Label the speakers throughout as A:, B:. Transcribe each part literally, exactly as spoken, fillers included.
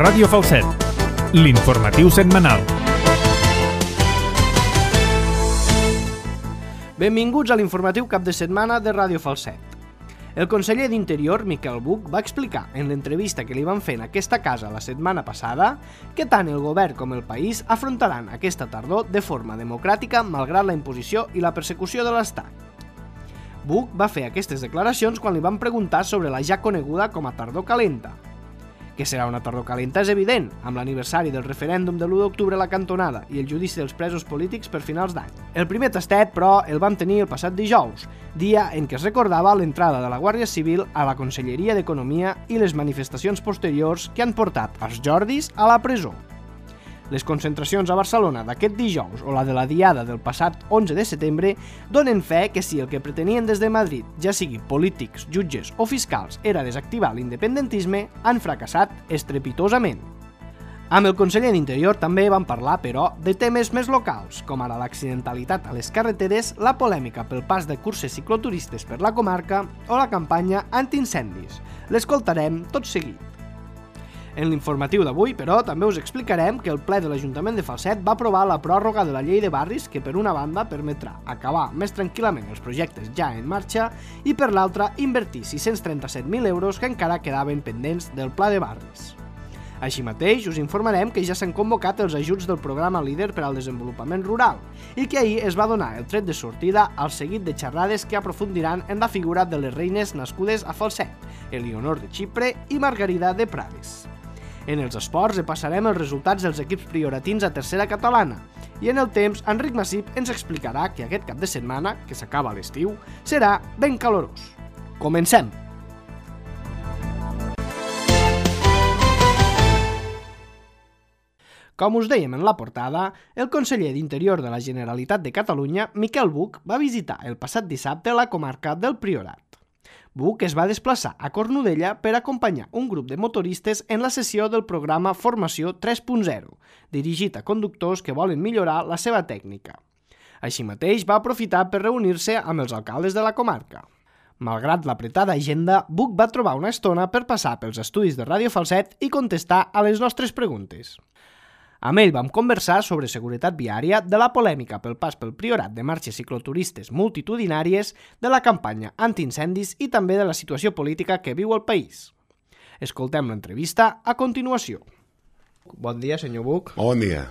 A: Ràdio Falset, l'informatiu setmanal.
B: Benvinguts a l'informatiu cap de setmana de Ràdio Falset. El conseller d'Interior, Miquel Buch, va explicar en l'entrevista que li van fer en aquesta casa la setmana passada que tant el govern com el país afrontaran aquesta tardor de forma democràtica malgrat la imposició i la persecució de l'Estat. Buch va fer aquestes declaracions quan li van preguntar sobre la ja coneguda com a tardor calenta. Que serà una tardor calenta és evident, amb l'aniversari del referèndum de l'u d'octubre a la cantonada i el judici dels presos polítics per finals d'any. El primer tastet, però, el vam tenir el passat dijous, dia en què es recordava l'entrada de la Guàrdia Civil a la Conselleria d'Economia i les manifestacions posteriors que han portat els Jordis a la presó. Les concentracions a Barcelona d'aquest dijous o la de la diada del passat onze de setembre donen fe que si el que pretenien des de Madrid, ja sigui polítics, jutges o fiscals, era desactivar l'independentisme, han fracassat estrepitosament. Amb el conseller d'Interior també van parlar, però, de temes més locals, com ara l'accidentalitat a les carreteres, la polèmica pel pas de curses cicloturistes per la comarca o la campanya antiincendis. L'escoltarem tot seguit. En l'informatiu d'avui, però, també us explicarem que el ple de l'Ajuntament de Falset va aprovar la pròrroga de la llei de barris que, per una banda, permetrà acabar més tranquil·lament els projectes ja en marxa i, per l'altra, invertir sis-cents trenta-set mil euros que encara quedaven pendents del pla de barris. Així mateix, us informarem que ja s'han convocat els ajuts del programa Líder per al Desenvolupament Rural i que ahir es va donar el tret de sortida al seguit de xerrades que aprofundiran en la figura de les reines nascudes a Falset, Elionor de Xipre i Margarida de Prades. En els esports repassarem els resultats dels equips prioratins a tercera catalana i en el temps Enric Massip ens explicarà que aquest cap de setmana, que s'acaba l'estiu, serà ben calorós. Comencem! Com us dèiem en la portada, el conseller d'Interior de la Generalitat de Catalunya, Miquel Buch, va visitar el passat dissabte la comarca del Priorat. Buch es va desplaçar a Cornudella per acompanyar un grup de motoristes en la sessió del programa Formació tres punt zero, dirigit a conductors que volen millorar la seva tècnica. Així mateix va aprofitar per reunir-se amb els alcaldes de la comarca. Malgrat l'apretada agenda, Buch va trobar una estona per passar pels estudis de Ràdio Falset i contestar a les nostres preguntes. Amb ell vam conversar sobre seguretat viària, de la polèmica pel pas pel Priorat de marxes cicloturistes multitudinàries, de la campanya antiincendis i també de la situació política que viu el país. Escoltem l'entrevista a continuació. Bon dia, senyor Buch.
C: Bon dia.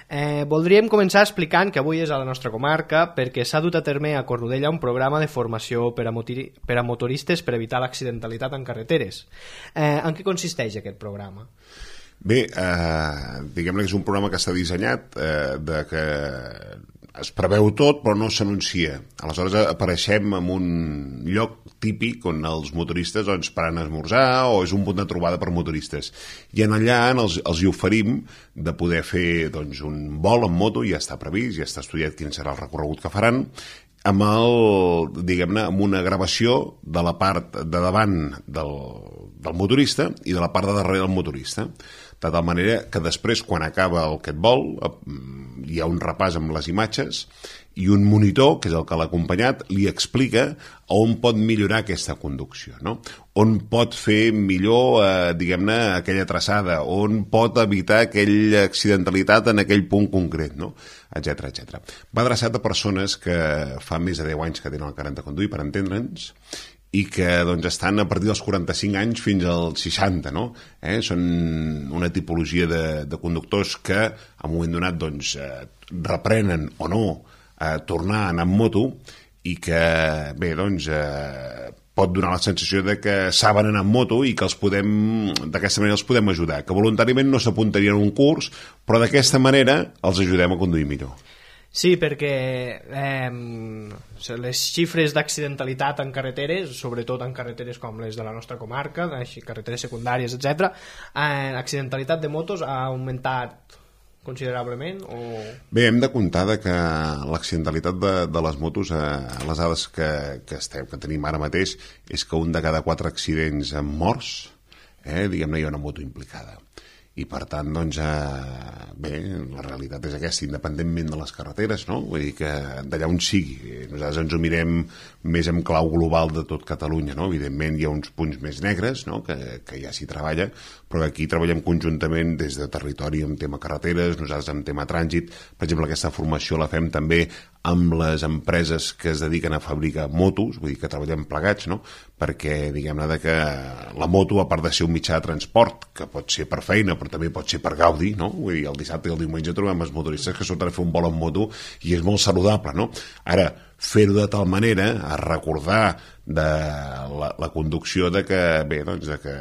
B: Eh, voldríem començar explicant que avui és a la nostra comarca perquè s'ha dut a terme a Cornudella un programa de formació per a, motori per a motoristes per evitar l'accidentalitat en carreteres. Eh, en què consisteix aquest programa?
C: Bé, eh, diguem-ne que és un programa que està dissenyat eh, de que es preveu tot però no s'anuncia. Aleshores apareixem en un lloc típic on els motoristes doncs, paren a esmorzar o és un punt de trobada per motoristes. I en allà els, els hi oferim de poder fer doncs, un vol en moto, ja està previst, ja està estudiat quin serà el recorregut que faran, amb, el, diguem-ne, amb una gravació de la part de davant del, del motorista i de la part de darrere del motorista. De tal manera que després, quan acaba el que et vol, hi ha un repàs amb les imatges i un monitor, que és el que l'ha acompanyat, li explica on pot millorar aquesta conducció, no? On pot fer millor, eh, diguem-ne, aquella traçada, on pot evitar aquella accidentalitat en aquell punt concret, no? Etcètera, etcètera. Va adreçat a persones que fa més de deu anys que tenen el carnet de conduir, per entendre'ns, i que doncs, estan a partir dels quaranta-cinc anys fins als seixanta, no? Eh? Són una tipologia de, de conductors que en un moment donat doncs, eh, reprenen o no a eh, tornar a anar amb moto i que bé, doncs, eh, pot donar la sensació de que saben anar amb moto i que els podem, d'aquesta manera els podem ajudar, que voluntàriament no s'apuntarien a un curs, però d'aquesta manera els ajudem a conduir millor.
B: Sí, perquè eh, les xifres d'accidentalitat en carreteres, sobretot en carreteres com les de la nostra comarca, carreteres secundàries, etcètera, eh, l'accidentalitat de motos ha augmentat considerablement? O...
C: Bé, hem de comptar que l'accidentalitat de, de les motos, eh, les dades que, que, estem, que tenim ara mateix, és que un de cada quatre accidents amb morts, eh, diguem-ne, hi ha una moto implicada. i per tant, doncs, eh, bé, la realitat és aquesta, independentment de les carreteres, no? Vull dir que d'allà on sigui, nosaltres ens ho mirem més en clau global de tot Catalunya, no? Evidentment hi ha uns punts més negres, no? que, que ja s'hi treballa, però aquí treballem conjuntament des de territori en tema carreteres, nosaltres en tema trànsit. Per exemple, aquesta formació la fem també amb les empreses que es dediquen a fabricar motos, vull dir que treballem plegats, no? Perquè, diguem-ne, que la moto, a part de ser un mitjà de transport, que pot ser per feina, però també pot ser per gaudi, no? Vull dir, el dissabte i el diumenge trobem els motoristes que surten a fer un vol en moto i és molt saludable, no? Ara, fer-ho de tal manera, a recordar de la, la conducció de que, bé, doncs, de que,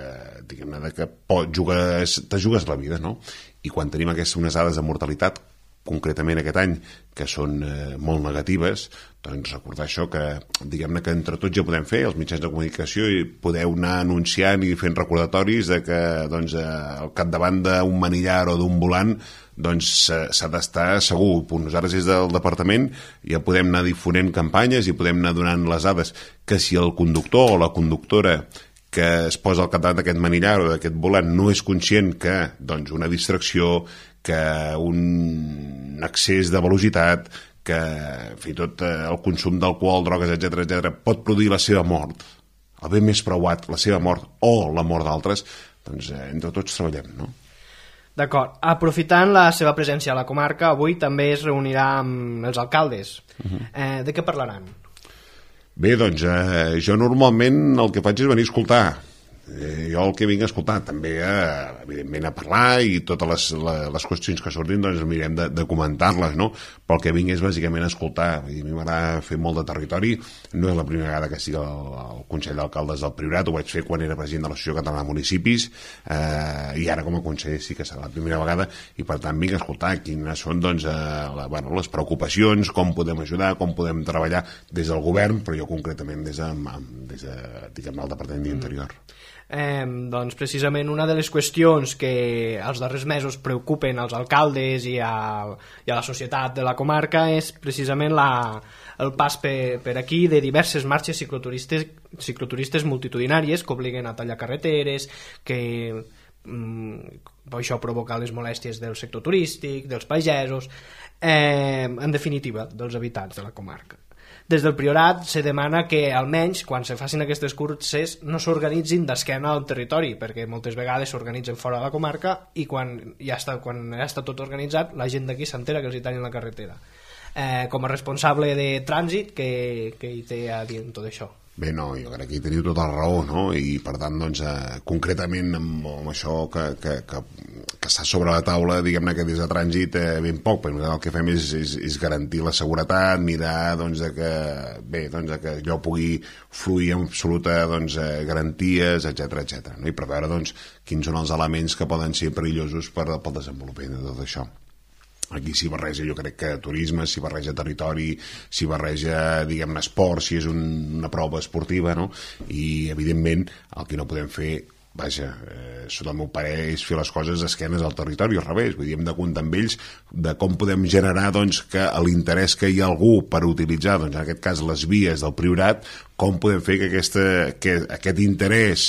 C: diguem-ne, de que pot, jugues, te jugues la vida, no? I quan tenim aquestes unes dades de mortalitat, concretament aquest any, que són eh, molt negatives, doncs recordar això, que diguem-ne que entre tots ja podem fer, els mitjans de comunicació, i podeu anar anunciant i fent recordatoris de que doncs, eh, al capdavant d'un manillar o d'un volant doncs s'ha d'estar segur. Nosaltres des del departament ja podem anar difonent campanyes i podem anar donant les dades que si el conductor o la conductora que es posa al capdavant d'aquest manillar o d'aquest volant no és conscient que doncs, una distracció, que un excés de velocitat, que fins i tot el consum d'alcohol, drogues, etcètera, etcètera, pot produir la seva mort, el bé més preuat, la seva mort o la mort d'altres, doncs eh, entre tots treballem, no?
B: D'acord. Aprofitant la seva presència a la comarca, avui també es reunirà amb els alcaldes. Uh-huh. eh, de què parlaran?
C: Bé, doncs eh, jo normalment el que faig és venir a escoltar. Eh, jo el que vinc a escoltar també eh, evidentment a parlar i totes les, les, les qüestions que surtin doncs mirem de, de comentar-les, no? Però el que vinc és bàsicament a escoltar. Vull dir, a mi m'agrada fer molt de territori, no és la primera vegada que estic al, al Consell d'Alcaldes del Priorat, ho vaig fer quan era president de l'Associació Catalana de Municipis eh, i ara com a conseller sí que serà la primera vegada i per tant vinc a escoltar quines són doncs, eh, la, bueno, les preocupacions, com podem ajudar, com podem treballar des del govern, però jo concretament des de, des de diguem, el Departament d'Interior. Mm.
B: Eh, doncs precisament una de les qüestions que els darrers mesos preocupen als alcaldes i a, i a la societat de la comarca és precisament la, el pas per, per aquí de diverses marxes cicloturistes, cicloturistes multitudinàries que obliguen a tallar carreteres, que mm, això provoca les molèsties del sector turístic, dels pagesos, eh, en definitiva dels habitants de la comarca. Des del Priorat se demana que almenys quan se facin aquestes curses no s'organitzin d'esquena al territori, perquè moltes vegades s'organitzen fora de la comarca i quan ja està, quan ja està tot organitzat la gent d'aquí s'entera que els hi tallen la carretera. Eh, com a responsable de trànsit, què, què hi té a dir en tot això?
C: Bé, no, jo crec que hi teniu tota la raó, no? I per tant, doncs, eh, concretament amb, amb això que, que, que, que està sobre la taula, diguem-ne que des de trànsit eh, ben poc, perquè nosaltres el que fem és, és, és garantir la seguretat, mirar doncs, de que, bé, doncs, de que allò pugui fluir amb absoluta doncs, eh, garanties, etcètera, etcètera, no? I preveure doncs, quins són els elements que poden ser perillosos per, pel desenvolupament de tot això. Aquí s'hi barreja, jo crec que turisme, s'hi barreja territori, s'hi barreja, diguem-ne, esport, si és un, una prova esportiva, no? I, evidentment, el que no podem fer, vaja, eh, sota el meu parer, és fer les coses esquenes al territori, al revés. Vull dir, hem de comptar amb ells de com podem generar, doncs, que l'interès que hi ha algú per utilitzar, doncs, en aquest cas, les vies del Priorat, com podem fer que, aquesta, que aquest interès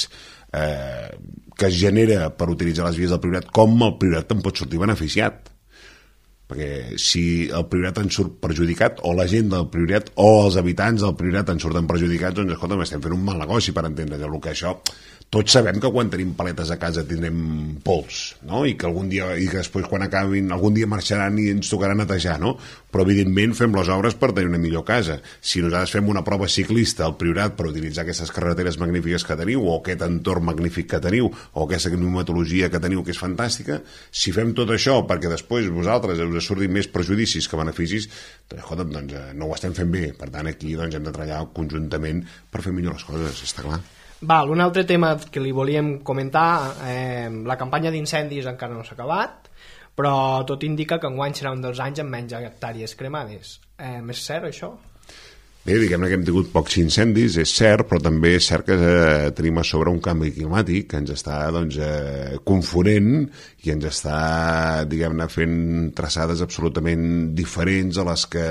C: eh, que es genera per utilitzar les vies del Priorat, com el Priorat en pot sortir beneficiat. Perquè si el Priorat en surt perjudicat o la gent del Priorat o els habitants del Priorat en surten perjudicats, doncs escolta, estem fent un mal negoci per entendre's. El que això, tots sabem que quan tenim paletes a casa tindrem pols, no? I que algun dia, i que després quan acabin algun dia marxaran i ens tocarà netejar, no? Però evidentment fem les obres per tenir una millor casa. Si nosaltres fem una prova ciclista al Priorat per utilitzar aquestes carreteres magnífiques que teniu o aquest entorn magnífic que teniu o aquesta climatologia que teniu que és fantàstica, si fem tot això perquè després vosaltres us surtin més perjudicis que beneficis, doncs, escolta'm, doncs no ho estem fent bé. Per tant, aquí doncs, hem de treballar conjuntament per fer millor les coses, està clar.
B: Val, un altre tema que li volíem comentar, eh, la campanya d'incendis encara no s'ha acabat, però tot indica que enguany serà un dels anys amb menys hectàrees cremades. Eh, és cert això?
C: Bé, diguem-ne que hem tingut pocs incendis, és cert, però també és cert que eh, tenim a sobre un canvi climàtic que ens està doncs, eh, confonent i ens està, diguem-ne, fent traçades absolutament diferents a les que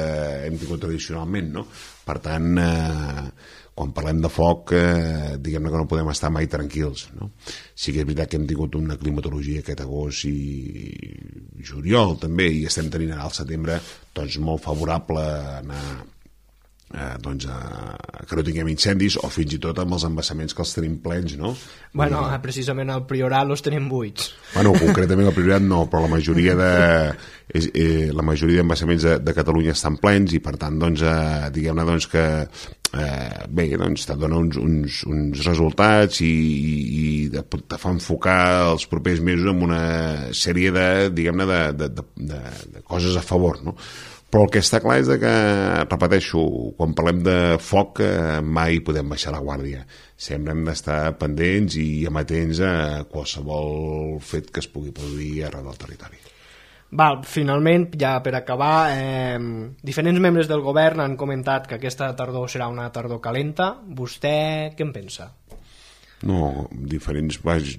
C: hem tingut tradicionalment, no? Per tant, eh, quan parlem de foc, eh, diguem-ne que no podem estar mai tranquils, no? Sí que és veritat que hem tingut una climatologia aquest agost i juliol també, i estem tenint ara al setembre doncs, molt favorable a anar Eh, doncs, eh, que no tinguem incendis o fins i tot amb els embassaments que els tenim plens, no?
B: Bueno, I, precisament al Priorat els tenim buits.
C: Bueno, concretament al Priorat no, però la majoria de és, eh, la majoria d'embassaments de, de Catalunya estan plens i per tant, doncs, eh, diguem-ne doncs, que eh, bé, doncs, te dona uns, uns, uns resultats i, i te fa enfocar els propers mesos amb una sèrie de, diguem-ne, de, de, de, de, de coses a favor, no? Però el que està clar és que, repeteixo, quan parlem de foc eh, mai podem baixar la guàrdia. Sempre hem d'estar pendents i amatents a qualsevol fet que es pugui produir arreu del territori.
B: Val, finalment, ja per acabar, eh, diferents membres del govern han comentat que aquesta tardor serà una tardor calenta. Vostè què en pensa?
C: No, diferents...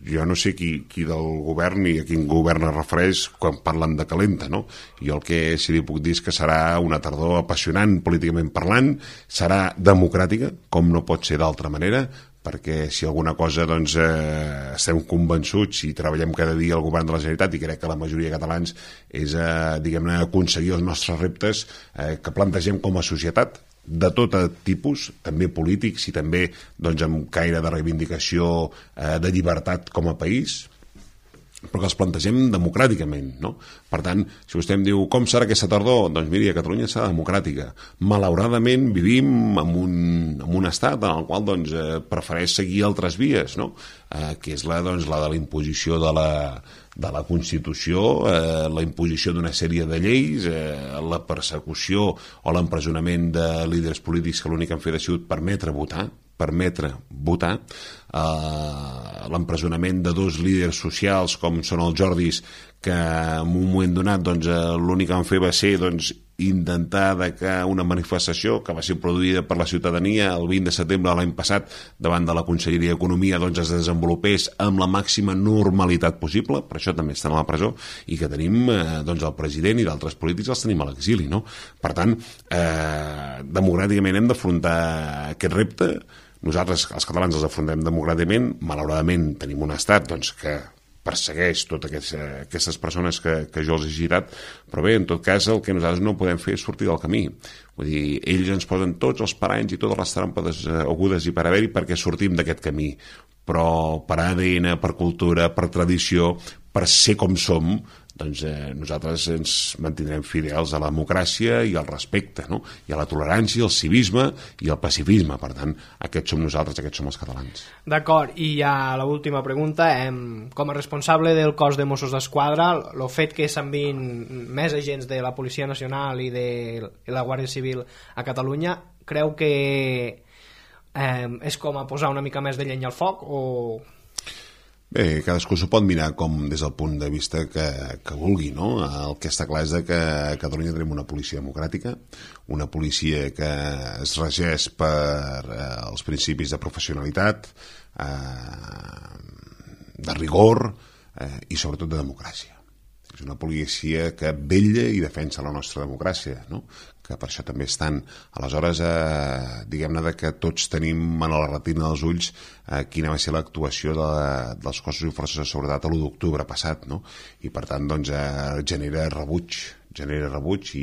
C: Jo no sé qui, qui del govern ni a quin govern es refereix quan parlen de calenta, no? Jo el que sí li puc dir és que serà una tardor apassionant políticament parlant, serà democràtica, com no pot ser d'altra manera, perquè si alguna cosa doncs, eh, estem convençuts i treballem cada dia al govern de la Generalitat i crec que la majoria de catalans és eh, diguem-ne aconseguir els nostres reptes eh, que plantegem com a societat de tot tipus, també polítics i també doncs, amb caire de reivindicació eh, de llibertat com a país, però que els plantegem democràticament, no? Per tant, si vostè em diu com serà aquesta tardor, doncs miri, a Catalunya serà democràtica. Malauradament vivim en un, en un estat en el qual doncs, eh, prefereix seguir altres vies, no? Eh, que és la, doncs, la de la imposició de la, de la Constitució, eh, la imposició d'una sèrie de lleis, eh, la persecució o l'empresonament de líders polítics que l'únic que han fet ha sigut permetre votar, permetre votar, eh, l'empresonament de dos líders socials com són els Jordis, que en un moment donat doncs, l'únic que van fer va ser doncs, intentar que una manifestació que va ser produïda per la ciutadania el vint de setembre de l'any passat davant de la Conselleria d'Economia doncs, es desenvolupés amb la màxima normalitat possible, per això també estan a la presó, i que tenim eh, doncs, el president i d'altres polítics els tenim a l'exili, no? Per tant, eh, democràticament hem d'afrontar aquest repte. Nosaltres, els catalans, els afrontem democràticament. Malauradament tenim un estat doncs, que persegueix totes aquestes, aquestes persones que, que jo els he citat, però bé, en tot cas el que nosaltres no podem fer és sortir del camí. Vull dir, ells ens posen tots els paranys i totes les trampes agudes i per haver-hi perquè sortim d'aquest camí, però per A D N, per cultura, per tradició, per ser com som, doncs eh, nosaltres ens mantindrem fidels a la democràcia i al respecte, no? I a la tolerància, el civisme i el pacifisme. Per tant, aquests som nosaltres, aquests som els catalans.
B: D'acord, i ja l'última pregunta, eh, com a responsable del cos de Mossos d'Esquadra, el fet que s'enviïn més agents de la Policia Nacional i de la Guàrdia Civil a Catalunya, creu que eh, és com a posar una mica més de llenya al foc o...
C: Bé, cadascú s'ho pot mirar com des del punt de vista que, que vulgui, no? El que està clar és que a Catalunya tenim una policia democràtica, una policia que es regeix per eh, els principis de professionalitat, eh, de rigor eh, i sobretot de democràcia. És una policia que vetlla i defensa la nostra democràcia, no? Que per això també estan. Aleshores, eh, diguem-ne que tots tenim a la retina dels ulls eh, quina va ser l'actuació de, dels cossos i forces de seguretat l'u d'octubre passat, no? I per tant, doncs, eh, genera rebuig, genera rebuig i,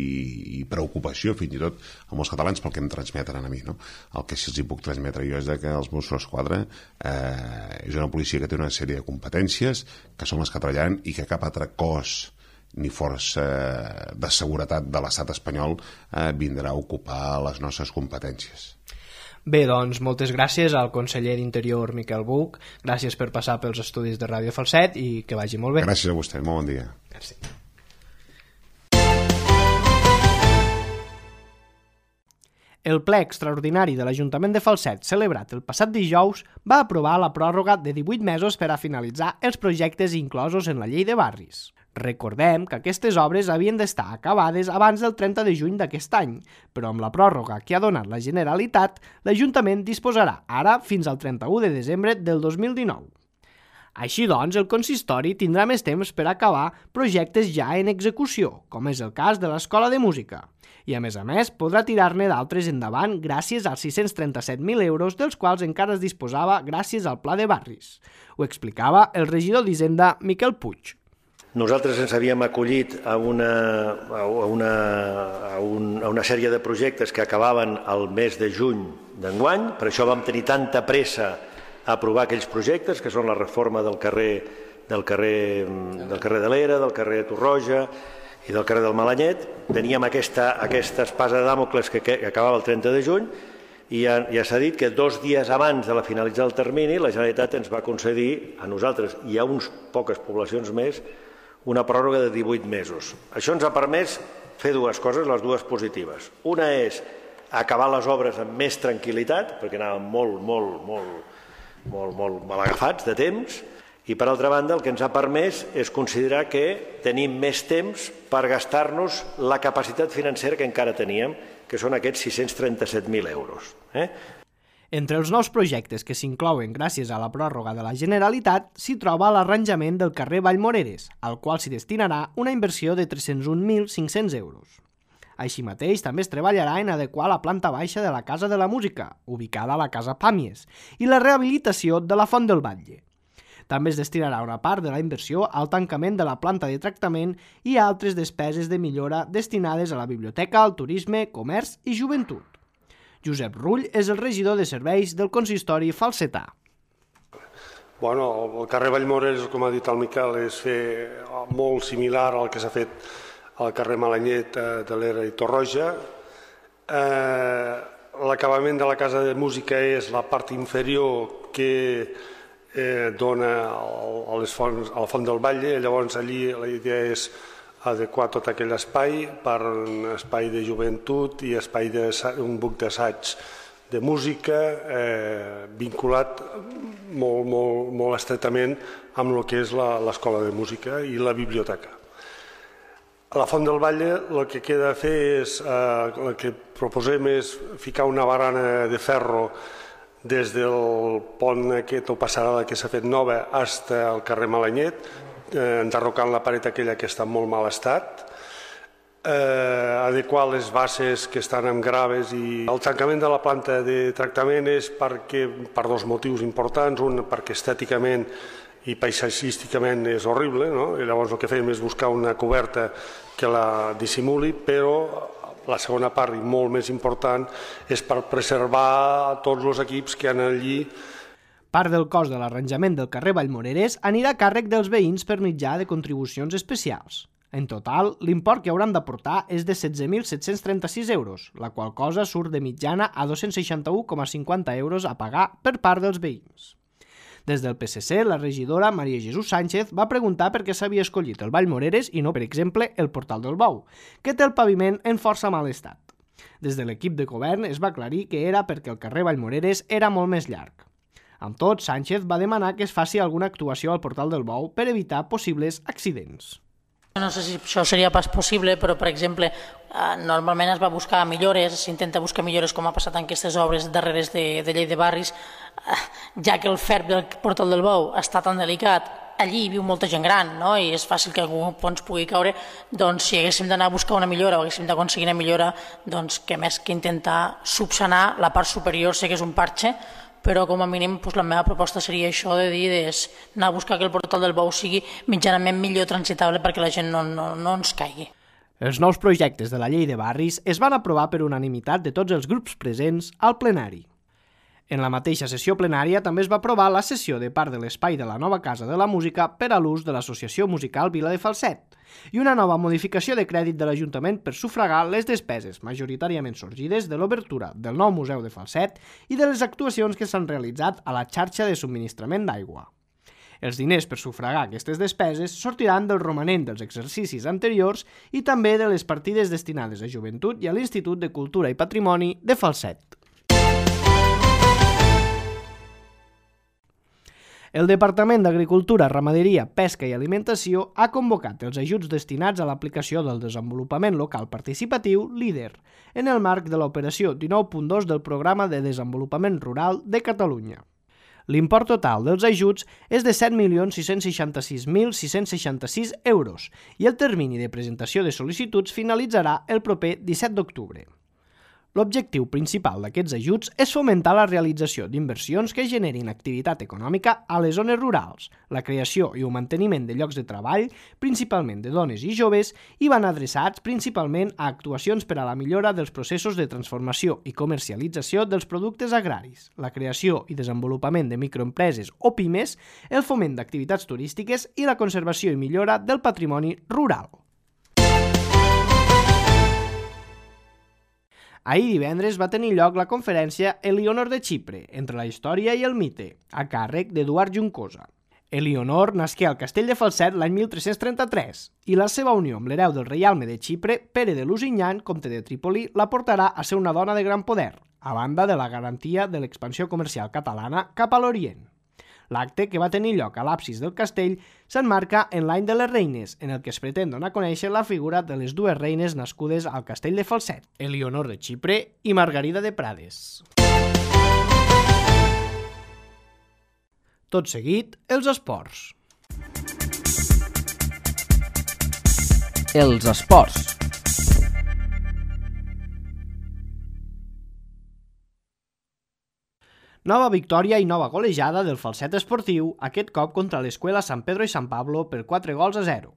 C: i preocupació, fins i tot, a molts catalans pel que em transmeten a mi, no? El que sí els hi puc transmetre jo és que els Mossos d'Esquadra eh, és una policia que té una sèrie de competències, que són les que treballen i que cap altre cos ni força de seguretat de l'estat espanyol eh, vindrà a ocupar les nostres competències.
B: Bé, doncs, moltes gràcies al conseller d'Interior Miquel Buch, gràcies per passar pels estudis de Ràdio Falset i que vagi molt bé.
C: Gràcies a vostè, molt bon dia.
B: Merci. El ple extraordinari de l'Ajuntament de Falset, celebrat el passat dijous, va aprovar la pròrroga de divuit mesos per a finalitzar els projectes inclosos en la llei de barris. Recordem que aquestes obres havien d'estar acabades abans del trenta de juny d'aquest any, però amb la pròrroga que ha donat la Generalitat, l'Ajuntament disposarà ara fins al trenta-u de desembre del dos mil dinou. Així doncs, el consistori tindrà més temps per acabar projectes ja en execució, com és el cas de l'Escola de Música. I a més a més, podrà tirar-ne d'altres endavant gràcies als sis-cents trenta-set mil euros dels quals encara es disposava gràcies al Pla de Barris. Ho explicava el regidor d'Hisenda, Miquel Puig.
D: Nosaltres ens havíem acollit a una, a una, a un, a una sèrie de projectes que acabaven el mes de juny d'enguany, per això vam tenir tanta pressa a aprovar aquells projectes, que són la reforma del carrer, del carrer, del carrer de l'Era, del carrer Torroja i del carrer del Malanyet. Teníem aquesta, aquesta espasa de Dàmocles que, que acabava el trenta de juny i ja, ja s'ha dit que dos dies abans de la finalitzar el termini la Generalitat ens va concedir a nosaltres i a uns poques poblacions més una pròrroga de divuit mesos. Això ens ha permès fer dues coses, les dues positives. Una és acabar les obres amb més tranquil·litat, perquè anàvem molt, molt, molt, molt, molt mal agafats de temps, i per altra banda el que ens ha permès és considerar que tenim més temps per gastar-nos la capacitat financera que encara teníem, que són aquests sis-cents trenta-set mil euros. Eh?
B: Entre els nous projectes que s'inclouen gràcies a la pròrroga de la Generalitat s'hi troba l'arranjament del carrer Vallmoreres, al qual s'hi destinarà una inversió de tres-cents un mil cinc-cents euros. Així mateix, també es treballarà en adequar la planta baixa de la Casa de la Música, ubicada a la Casa Pàmies, i la rehabilitació de la Font del Batlle. També es destinarà una part de la inversió al tancament de la planta de tractament i a altres despeses de millora destinades a la biblioteca, al turisme, comerç i joventut. Josep Rull és el regidor de serveis del consistori falsetà.
E: Bueno, el carrer Vallmoreres, com ha dit el Miquel, és fer molt similar al que s'ha fet al carrer Malanyet de l'Era i Torroja. Eh, L'acabament de la Casa de Música és la part inferior que eh, dona a, les fonts, a la Font del Batlle. Llavors allí la idea és adequar tot aquell espai per un espai de joventut i espai de, un buc d'assaig de música eh, vinculat molt, molt, molt estretament amb el que és l'Escola de Música i la biblioteca. A la Font del Batlle el que queda a fer és, eh, el que proposem és ficar una barana de ferro des del pont aquest o passarel·la que s'ha fet nova fins al carrer Malanyet, eh, enderrocant la paret aquella que està en molt mal estat, eh, adequar les bases que estan amb graves i el tancament de la planta de tractament és perquè, per dos motius importants, un perquè estèticament i paisatgísticament és horrible, no? I llavors el que fem és buscar una coberta que la dissimuli, però la segona part, i molt més important, és per preservar tots els equips que han allí.
B: Part del cost de l'arranjament del carrer Vallmoreres anirà a càrrec dels veïns per mitjà de contribucions especials. En total, l'import que hauran d'aportar és de setze mil set-cents trenta-sis euros, la qual cosa surt de mitjana a dos-cents seixanta-u coma cinquanta euros a pagar per part dels veïns. Des del P S C, la regidora Maria Jesús Sánchez va preguntar per què s'havia escollit el Vallmoreres i no, per exemple, el Portal del Bou, que té el paviment en força mal estat. Des de l'equip de govern es va aclarir que era perquè el carrer Vallmoreres era molt més llarg. Amb tot, Sánchez va demanar que es faci alguna actuació al Portal del Bou per evitar possibles accidents.
F: No sé si això seria pas possible, però, per exemple, normalment es va buscar millores, s'intenta buscar millores com ha passat en aquestes obres darreres de, de llei de barris, ja que el ferb del Portal del Bou està tan delicat, allí viu molta gent gran, no? I és fàcil que algú ens pugui caure, doncs si haguéssim d'anar a buscar una millora o haguéssim d'aconseguir una millora, doncs que més que intentar subsanar la part superior, sé que és un parxe, però com a mínim doncs, la meva proposta seria això de dir és anar a buscar que el Portal del Bou sigui mitjanament millor transitable perquè la gent no, no, no ens caigui.
B: Els nous projectes de la llei de barris es van aprovar per unanimitat de tots els grups presents al plenari. En la mateixa sessió plenària també es va aprovar la cessió de part de l'espai de la nova Casa de la Música per a l'ús de l'Associació Musical Vila de Falset i una nova modificació de crèdit de l'Ajuntament per sufragar les despeses majoritàriament sorgides de l'obertura del nou Museu de Falset i de les actuacions que s'han realitzat a la xarxa de subministrament d'aigua. Els diners per sufragar aquestes despeses sortiran del romanent dels exercicis anteriors i també de les partides destinades a joventut i a l'Institut de Cultura i Patrimoni de Falset. El Departament d'Agricultura, Ramaderia, Pesca i Alimentació ha convocat els ajuts destinats a l'aplicació del desenvolupament local participatiu LEADER en el marc de l'operació dinou punt dos del Programa de Desenvolupament Rural de Catalunya. L'import total dels ajuts és de set milions sis-cents seixanta-sis mil sis-cents seixanta-sis euros i el termini de presentació de sol·licituds finalitzarà el proper disset d'octubre. L'objectiu principal d'aquests ajuts és fomentar la realització d'inversions que generin activitat econòmica a les zones rurals, la creació i el manteniment de llocs de treball, principalment de dones i joves, i van adreçats principalment a actuacions per a la millora dels processos de transformació i comercialització dels productes agraris, la creació i desenvolupament de microempreses o pimes, el foment d'activitats turístiques i la conservació i millora del patrimoni rural. Ahir divendres va tenir lloc la conferència Elionor de Xipre, entre la història i el mite, a càrrec d'Eduard Juncosa. Elionor nasqué al castell de Falset l'any mil tres-cents trenta-tres i la seva unió amb l'hereu del reialme de Xipre, Pere de Lusignan, comte de Trípoli, la portarà a ser una dona de gran poder, a banda de la garantia de l'expansió comercial catalana cap a l'Orient. L'acte, que va tenir lloc a l'absis del castell, s'emmarca en l'any de les reines, en el que es pretén donar a conèixer la figura de les dues reines nascudes al castell de Falset, Elionor de Xipre i Margarida de Prades. Tot seguit, els esports.
G: Els esports.
B: Nova victòria i nova golejada del Falset esportiu, aquest cop contra l'Escuela San Pedro i San Pablo per quatre gols a zero.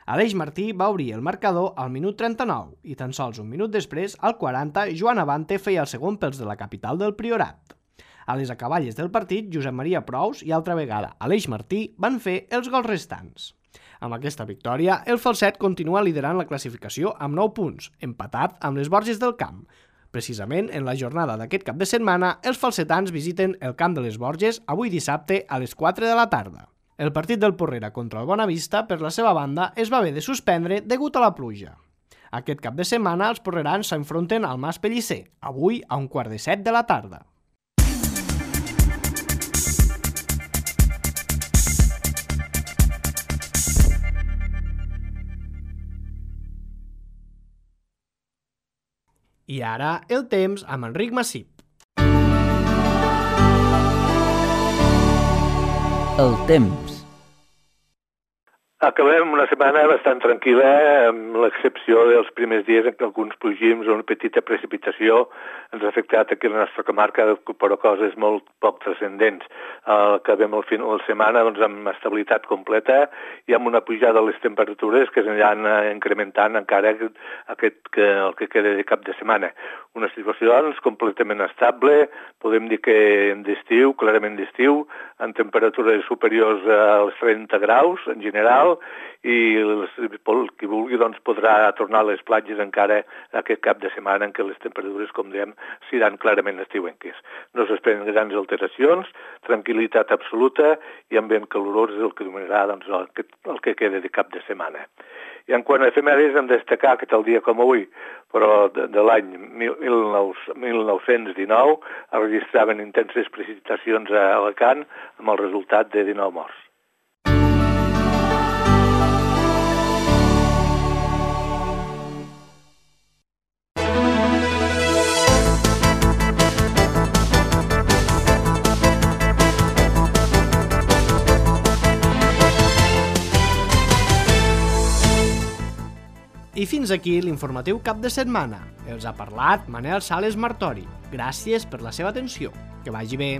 B: Aleix Martí va obrir el marcador al minut trenta-nou i tan sols un minut després, al quaranta, Joan Abante feia el segon pels de la capital del Priorat. A les acaballes del partit, Josep Maria Prous i altra vegada Aleix Martí van fer els gols restants. Amb aquesta victòria, el Falset continua liderant la classificació amb nou punts, empatat amb les Borges del Camp. Precisament, en la jornada d'aquest cap de setmana, els falsetans visiten el Camp de les Borges avui dissabte a les quatre de la tarda. El partit del Porrera contra el Bonavista, per la seva banda, es va haver de suspendre degut a la pluja. Aquest cap de setmana, els porrerans s'enfronten al Mas Pellicer, avui a un quart de set de la tarda. I ara, el temps amb Enric Massip.
G: El temps.
H: Acabem una setmana bastant tranquil·la, amb l'excepció dels primers dies en què alguns plogims o una petita precipitació ens ha afectat aquí a la nostra comarca, però coses molt poc transcendents. Acabem el final de setmana doncs, amb estabilitat completa i amb una pujada de les temperatures que s'aniran incrementant encara aquest, que, el que queda de cap de setmana. Una situació doncs, completament estable, podem dir que d'estiu, clarament d'estiu, amb temperatures superiors als trenta graus en general, i el qui vulgui doncs, podrà tornar a les platges encara aquest cap de setmana en què les temperatures, com dèiem, seran clarament estiuenques. No s'esperen grans alteracions, tranquil·litat absoluta i ambient calorós és el que dominarà doncs, el, que, el que queda de cap de setmana. I en quant a efemèrides hem de destacar que tal dia com avui, però de, de l'any mil nou-cents dinou, es registraven intenses precipitacions a Alacant amb el resultat de dinou morts.
B: I fins aquí l'informatiu cap de setmana. Els ha parlat Manel Sales Martori. Gràcies per la seva atenció. Que vagi bé.